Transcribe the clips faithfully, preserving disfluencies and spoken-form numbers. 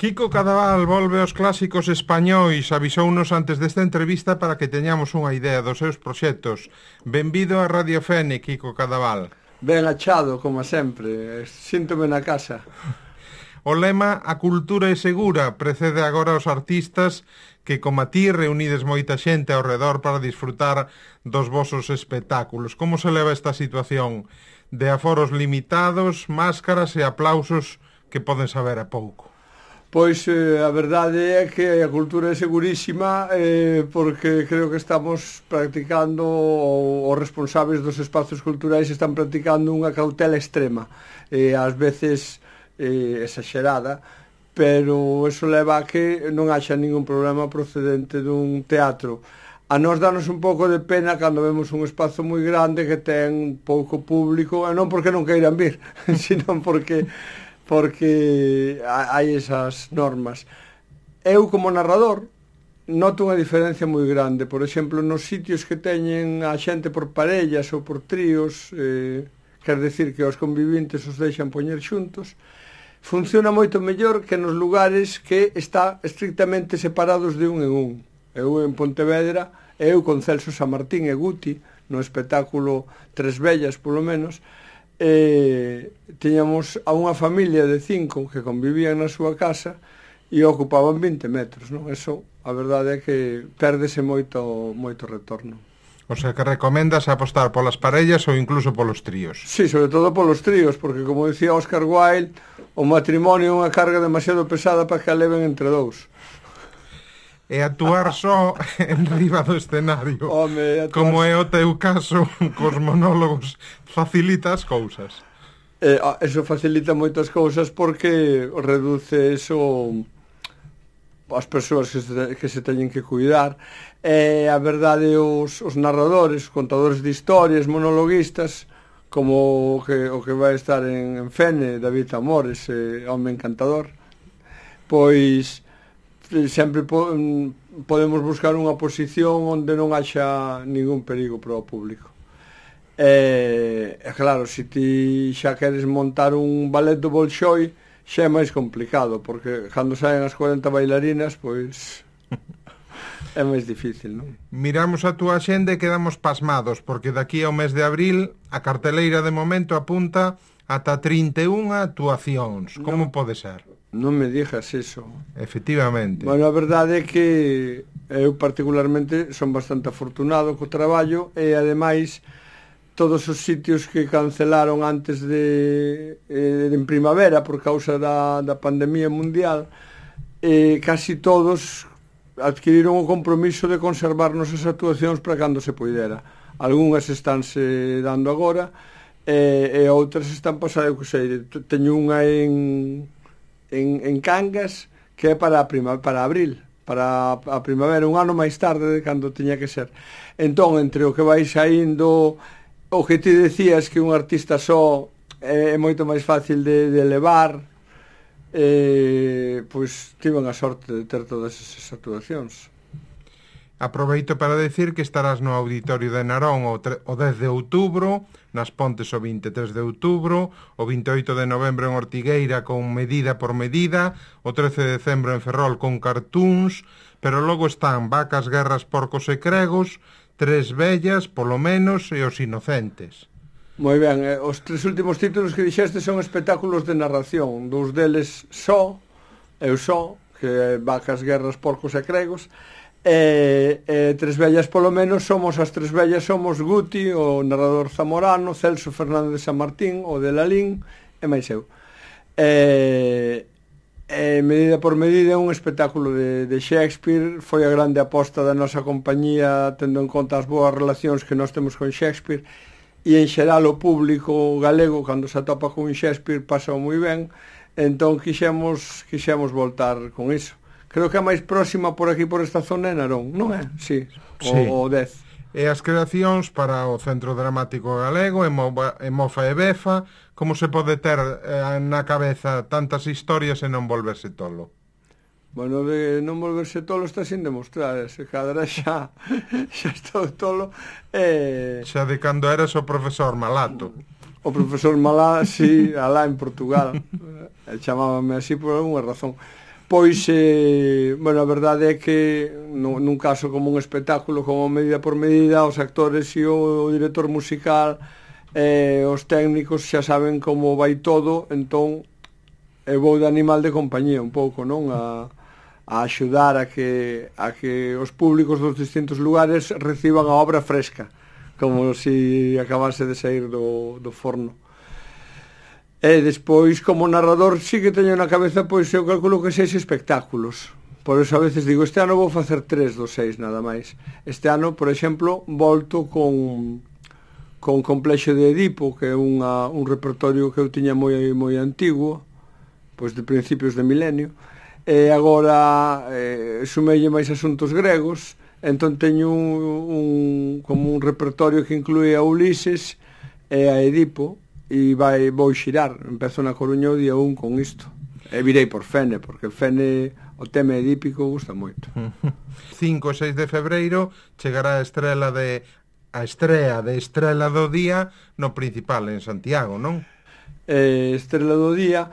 Quico Cadaval volve aos clásicos españois, avisounos antes desta entrevista para que teñamos unha idea dos seus proxectos. Benvido a Radio Fene, Quico Cadaval. Ben achado, como sempre, síntome na casa. O lema "A cultura é segura" precede agora aos artistas que, como a ti, reunides moita xente ao redor para disfrutar dos vosos espectáculos. Como se leva esta situación de aforos limitados, máscaras e aplausos que poden saber a pouco? Pois eh, a verdade é que a cultura é segurísima eh, porque creo que estamos practicando, ou os responsables dos espazos culturais están practicando unha cautela extrema, eh, ás veces eh, exagerada, pero eso leva a que non haxa ningún problema procedente dun teatro. A nós danos un pouco de pena cando vemos un espazo moi grande que ten pouco público, e non porque non queiran vir, sino porque porque hai esas normas. Eu, como narrador, noto unha diferencia moi grande. Por exemplo, nos sitios que teñen a xente por parellas ou por tríos, eh, quer decir que os convivintes os deixan poñer xuntos, funciona moito mellor que nos lugares que está estrictamente separados de un en un. Eu en Pontevedra, eu con Celso Samartín e Guti, no espectáculo Tres Vellas, polo menos, eh, tiñamos a unha familia de cinco que convivían na súa casa e ocupaban vinte metros, non? Eso, a verdade é que pérdese moito, moito retorno. O sea, que recomendas apostar polas parellas ou incluso polos tríos? Sí, sobre todo polos tríos, porque, como dicía Oscar Wilde, o matrimonio é unha carga demasiado pesada para que a leven entre dous. E actuar só en riba do escenario, Home, actuar... como é o teu caso cos monólogos, facilita as cousas? Eh, eso facilita moitas cousas porque reduce eso as persoas que se, que se teñen que cuidar. E a verdade, os, os narradores, os contadores de historias, monologuistas, como o que, o que vai estar en, en Fene, David Amores, eh, home encantador, pois sempre po, podemos buscar unha posición onde non haxa ningún perigo para o público. E, e claro, se ti xa queres montar un ballet do Bolshoi, xa é máis complicado, porque cando saen as cuarenta bailarinas, pois é máis difícil, non? Miramos a túa axenda e quedamos pasmados, porque daqui ao mes de abril a carteleira de momento apunta ata trinta e unha actuacións. Como non pode ser? Non me dixas eso. Efectivamente. Bueno, a verdade é que eu particularmente son bastante afortunado co traballo e ademais todos os sitios que cancelaron antes de eh, en primavera por causa da, da pandemia mundial, eh, casi todos adquiriron o compromiso de conservarnos as actuacións para cando se poidera. Algúnas estánse dando agora e, e outras están pasando, eu que sei, teño unha en En, en Cangas que é para a prima, para abril, para a primavera, un ano máis tarde de cando tiña que ser. Entón, entre o que vai saindo, o que ti decías que un artista só é, é moito máis fácil de, de levar, eh, pois tiven a sorte de ter todas esas actuacións. Aproveito para decir que estarás no Auditorio de Narón o, o dez de outubro, nas Pontes o vinte e tres de outubro, o vinte e oito de novembro en Ortigueira con Medida por Medida, o trece de decembro en Ferrol con Cartoons, pero logo están Vacas, Guerras, Porcos e Cregos, Tres Vellas, polo menos, e Os Inocentes. Moi ben, eh, os tres últimos títulos que dixeste son espectáculos de narración, dous deles só, eu só, que é Vacas, Guerras, Porcos e Cregos, E, e Tres Vellas polo menos somos as Tres Vellas, somos Guti, o narrador zamorano, Celso Fernández de Samartín, o de Lalín e máis eu. E, e Medida por Medida é un espectáculo de, de Shakespeare, foi a grande aposta da nosa compañía tendo en conta as boas relacións que nós temos con Shakespeare, e en xeral o público galego cando se atopa con Shakespeare pasa moi ben, entón quixemos, quixemos voltar con iso. Creo que a máis próxima por aquí, por esta zona, é Narón, non é? Sí, sí. O, o dez. E as creacións para o Centro Dramático Galego, e Mofa e Befa, como se pode ter eh, na cabeza tantas historias e non volverse tolo? Bueno, de non volverse tolo está sin demostrar, se cadra xa, xa estou tolo. Eh... Xa de cando eras o profesor Malato. O profesor Malá, sí, alá en Portugal, chamábame así por alguna razón. Despois, eh, bueno, a verdade é que no, nun caso como un espectáculo, como medida por medida, os actores e o, o director musical, eh, os técnicos xa saben como vai todo, entón eu vou de animal de compañía un pouco, non? A, a axudar a que, a que os públicos dos distintos lugares reciban a obra fresca, como se si acabase de sair do, do forno. E despois, como narrador, sí que teño na cabeza, pois eu calculo que seis espectáculos. Por eso a veces digo, este ano vou facer tres dos seis nada máis. Este ano, por exemplo, volto con con Complexo de Edipo, que é unha, un repertorio que eu tiña moi moi antigo, pois de principios de milenio, e agora eh, sumelle máis asuntos gregos, entón teño un, un, como un repertorio que inclúe a Ulises e a Edipo, e vai, vou xirar, empezo na Coruña o día un con isto, e virei por Fene, porque Fene, o tema edípico, gusta moito. cinco e seis de febreiro chegará a estrela de a estrea de Estrela do Día no Principal en Santiago, non? Eh, Estrela do Día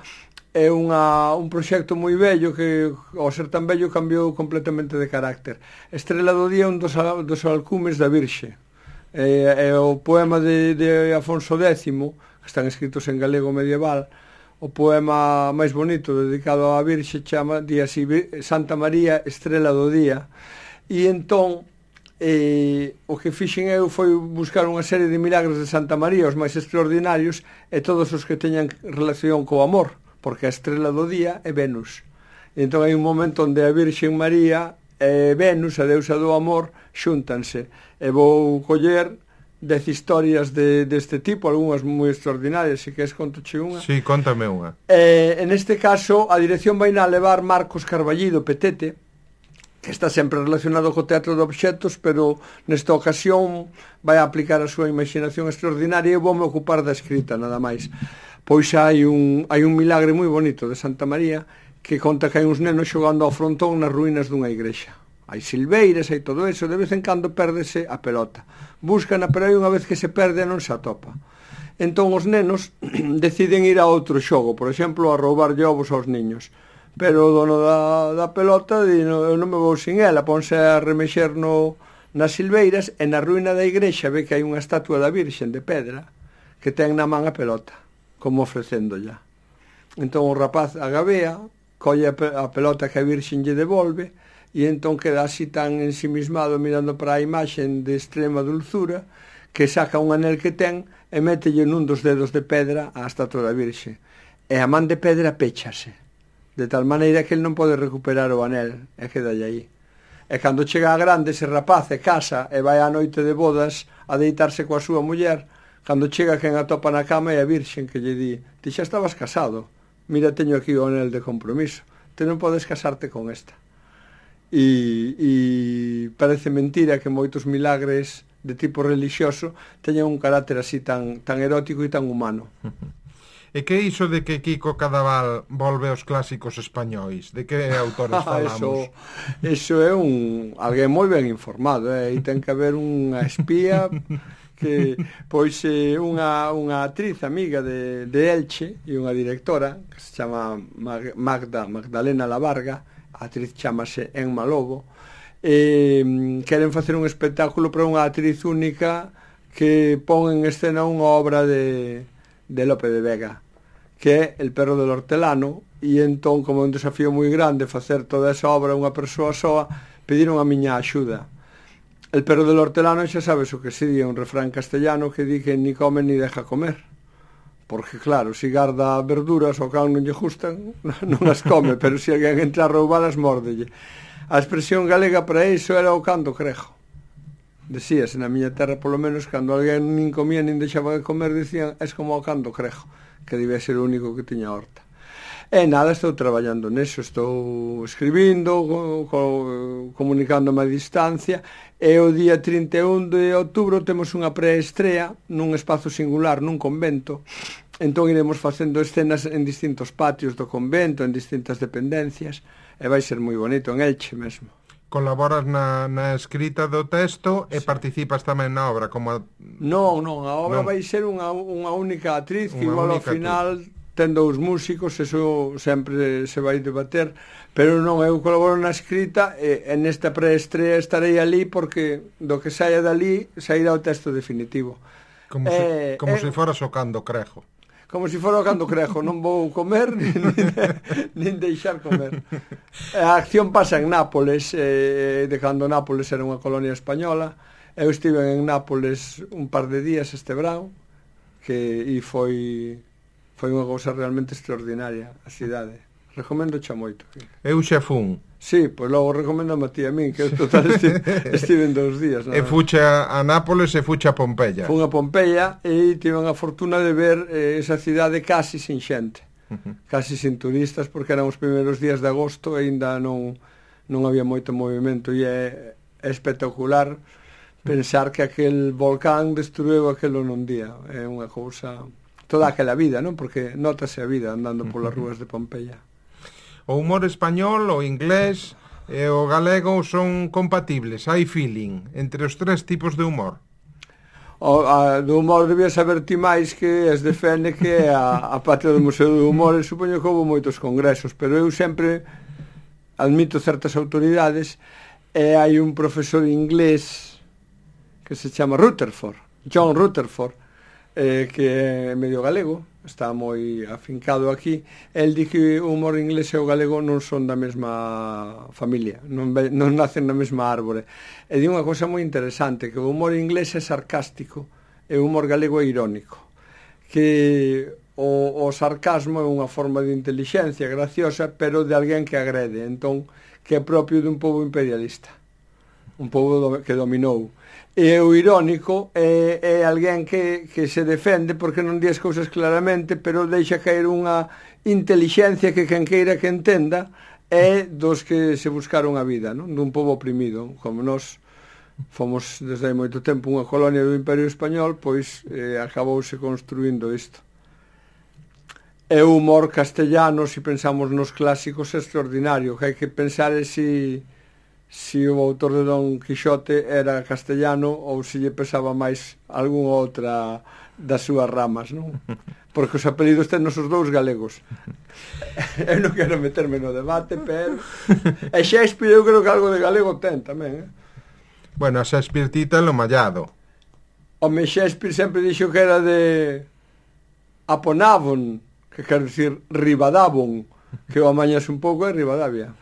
é unha, un proxecto moi bello que, ao ser tan bello, cambiou completamente de carácter. Estrela do Día é un dos, dos alcumes da Virxe. É, é o poema de, de Afonso Décimo, que están escritos en galego medieval. O poema máis bonito dedicado á Virxe chama di así, Santa María, Estrela do Día. E entón eh, o que fixen eu foi buscar unha serie de milagres de Santa María, os máis extraordinarios, e todos os que teñan relación co amor, porque a Estrela do Día é Venus. E entón hai un momento onde a Virxen María e Venus, a deusa do amor, xúntanse. E vou coller dez historias de, deste tipo, algunhas moi extraordinarias, se queres contoche unha. Sí, contame unha. Eh, en este caso, a dirección vai na levar Marcos Carballido Petete, que está sempre relacionado co teatro de obxectos, pero nesta ocasión vai a aplicar a súa imaginación extraordinaria e vou me ocupar da escrita, nada máis. Pois hai un, hai un milagre moi bonito de Santa María que conta que hai uns nenos xogando ao frontón nas ruínas dunha igrexa. Hai silveiras, hai todo eso, de vez en cando pérdese a pelota. Búscana, pero hai unha vez que se perde non se atopa. Entón os nenos deciden ir a outro xogo, por exemplo, a roubar ovos aos niños. Pero o dono da, da pelota di, no, eu non me vou sin ela, ponse a remexer no, nas silveiras, e na ruína da igrexa ve que hai unha estatua da Virxen de pedra que ten na man a pelota, como ofrecéndolla. Entón o rapaz agabea, colle a pelota que a Virxen lle devolve, e entón queda así tan ensimismado mirando para a imaxen de extrema dulzura que saca un anel que ten e mételle nun dos dedos de pedra á estatua da Virxe, e a man de pedra péchase de tal maneira que el non pode recuperar o anel e quedalle aí. E cando chega a grande ese rapaz e casa e vai á noite de bodas a deitarse coa súa muller, cando chega quen atopa na cama é a Virxen que lle di: ti xa estabas casado, mira, teño aquí o anel de compromiso, te non podes casarte con esta. E, e parece mentira que moitos milagres de tipo religioso teñan un carácter así tan, tan erótico e tan humano. E que iso de que Kiko Cadaval volve aos clásicos españois? De que autores falamos? eso, eso é un alguén moi ben informado, eh? E ten que haber unha espía que, pois, é unha, unha actriz amiga de, de Elche e unha directora que se chama Magda, Magdalena Lavarga. A actriz chamase Enma Lobo, e queren facer un espectáculo para unha actriz única que pon en escena unha obra de, de Lope de Vega, que é El perro del hortelano, e entón, como é un desafío moi grande facer toda esa obra unha persoa soa, pediron a miña axuda. El perro del hortelano, xa sabes o que se di, un refrán castellano que di que ni come ni deja comer. Porque claro, se garda verduras ao can non lle gustan, non as come, pero se alguén entra a roubalas, mórdelle. A expresión galega para iso era o can do crejo. Decíase na miña terra, polo menos, cando alguén nin comía nin deixaba de comer, dicían, es como o can do crejo, que debía ser o único que tiña horta. E nada, estou traballando neso, estou escribindo, co, co, comunicándome a distancia, e o día trinta e un de outubro temos unha preestrea nun espazo singular, nun convento. Entón iremos facendo escenas en distintos patios do convento, en distintas dependencias, e vai ser moi bonito, en Elche mesmo. Colaboras na, na escrita do texto e sí. Participas tamén na obra como... A... Non, non, a obra non. vai ser unha, unha única actriz que unha igual ao final actriz. ten dous músicos, eso sempre se vai debater, pero non, eu colaboro na escrita e, e nesta preestrea estarei ali porque do que saia dali sairá o texto definitivo. Como, eh, se, como eh, se fora socando crejo. Como se fora cando crejo, non vou comer nin, nin deixar comer. A acción pasa en Nápoles, eh, de cando Nápoles era unha colonia española. Eu estive en Nápoles un par de días este verão, que e foi foi unha cousa realmente extraordinaria a cidade. Recomendo xa moito. Eu xa fun. Sí, pois logo recomendo a ti a min, que eu total estive, estive en dous días. E fucha a Nápoles e fucha a Pompeia. Fun a Pompeia e tive a fortuna de ver eh, esa cidade casi sin xente, uh-huh. casi sin turistas, porque eran os primeiros días de agosto e ainda non, non había moito movimento, e é, é espectacular pensar que aquel volcán destruiu aquelo nun día. É unha cousa, toda aquela vida, non? Porque notase a vida andando polas rúas de Pompeia. O humor español, o inglés e o galego son compatibles, hai feeling entre os tres tipos de humor. O, a, do humor debía saber ti máis, que es defende que a, a patria do Museo do Humor, e supoño que houve moitos congresos, pero eu sempre admito certas autoridades, e hai un profesor inglés que se chama Rutherford, John Rutherford, eh, que é medio galego, está moi afincado aquí. El di que o humor inglés e o galego non son da mesma familia, non, non nacen na mesma árbore. E di unha cosa moi interesante, que o humor inglés é sarcástico e o humor galego é irónico, que o, o sarcasmo é unha forma de intelixencia graciosa, pero de alguén que agrede, entón, que é propio dun pobo imperialista, un pobo do, que dominou. E o irónico é, é alguén que, que se defende porque non di as cousas claramente, pero deixa caer unha intelixencia que quen queira que entenda é dos que se buscaron a vida, non? Dun pobo oprimido. Como nós fomos desde hai moito tempo unha colonia do Imperio Español, pois eh, acabouse construindo isto. E o humor castellano, se pensamos nos clásicos, é extraordinario, que hai que pensar é si... si o autor de Don Quixote era castellano ou se lle pesaba máis algunha outra das súas ramas, non? Porque os apelidos ten os dous galegos. Eu non quero meterme no debate, pero... E Shakespeare eu creo que algo de galego ten tamén, eh? Bueno, a Shakespeare tita lo mallado. Home, Shakespeare sempre dixo que era de Aponavon, que quer dicir Ribadavon, que o amañas un pouco é Ribadavia.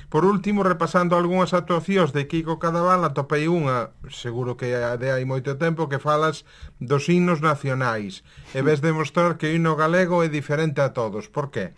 Por último, repasando algunhas actuacións de Quico Cadaval, atopei unha, seguro que de hai moito tempo, que falas dos himnos nacionais e ves demostrar que o himno galego é diferente a todos. Por qué?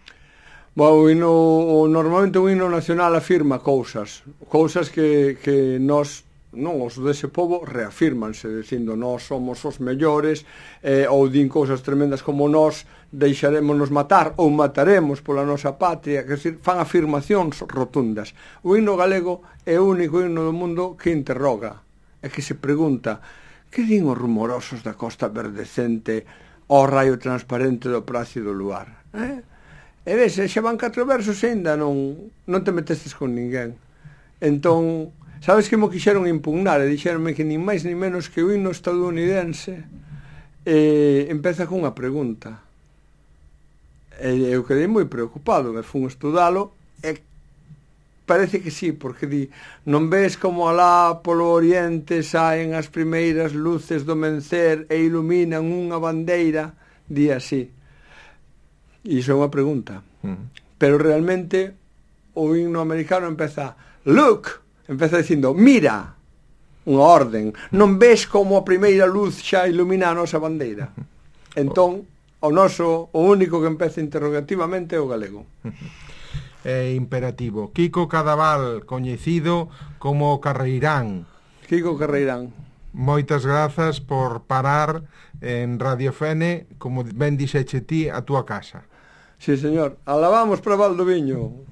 Bueno, o himno, o, normalmente o himno nacional afirma cousas, cousas que, que nós, non, os dese povo reafirmanse, dicindo nós somos os mellores, eh, ou din cousas tremendas como nós deixarémonos matar ou mataremos pola nosa patria, que decir, fan afirmacións rotundas. O himno galego é o único himno do mundo que interroga, e que se pregunta: que din os rumorosos da costa verdecente ao raio transparente do plácido luar? Eh? E ves, xa van catro versos e ainda non, non te metestes con ninguén. Entón, sabes que mo quixeron impugnar e dixeronme que nin máis nin menos que o himno estadounidense eh, empeza con unha pregunta. E eu quedei moi preocupado, me fun estudalo e parece que sí, porque di: non ves como alá polo oriente saen as primeiras luces do mencer e iluminan unha bandeira, di así. E iso é unha pregunta. Mm. Pero realmente o himno americano empeza look, empeza dicindo mira, unha orden, non ves como a primeira luz xa ilumina a nosa bandeira. Entón, o noso, o único que empeza interrogativamente é o galego. É imperativo. Quico Cadaval, coñecido como Carreirán. Quico Carreirán. Moitas grazas por parar en Radio Fene, como ben dixeche ti, a túa casa. Sí, señor. Alabamos para Valdoviño.